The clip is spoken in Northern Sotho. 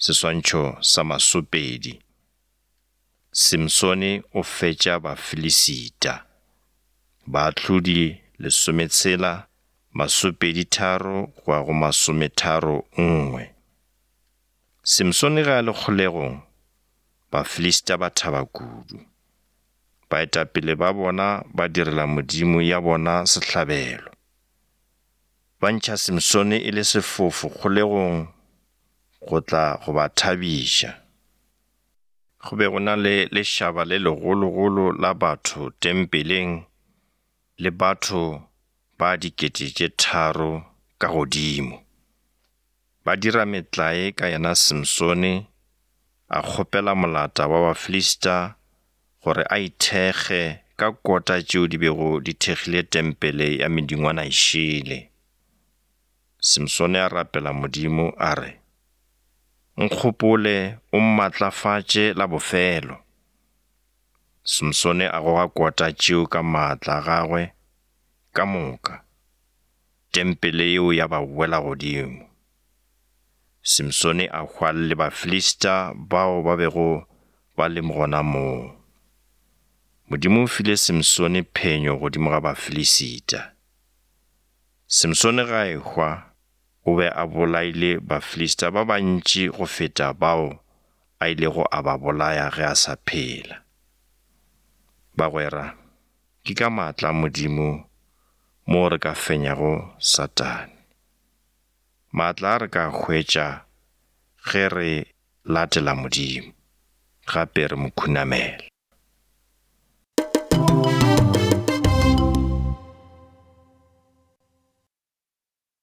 Seswantšho sa masopedi. Simsone o fetša Bafilisita. Baahlodi lesometshela, masopedi-tharo go ya go masometharo-nngwe. Simsone ge a le kgolegong, Bafilista ba thaba kudu. Baetapele ba bona ba direla modimo ya bona sehlabelo. Ba ntšha Simsone e le sefofu kgolegong go tla go ba thabiša. Go be go na le lešaba le legologolo la batho tempeleng le batho ba 3000 ka godimo. Ba dira metlae ka yena Simsone, a kgopela molata wa Bafilista gore a ithekge ka kota tšeo di bego di thekgile tempele ya medingwana e šele. Simsone a rapela Modimo a re, Nkgopole o mmatlafatše la bofelo. Simsone a goga kota tšeo ka maatla a gagwe ka moka, tempele yeo ya ba wela godimo. Simsone a hwa le Bafilista bao ba bego ba le gona moo. Modimo o file Simsone phenyo godimo ga Bafilisita. Simsone ge a ehwa, o be a bolaile Bafilista ba bantši go feta bao a ilego a ba bolaya ge a sa phela. Bagwera, ke ka maatla a Modimo moo re ka fenyago Satane. Maatla a re ka a hwetša ge re latela Modimo, gape re mo khunamela.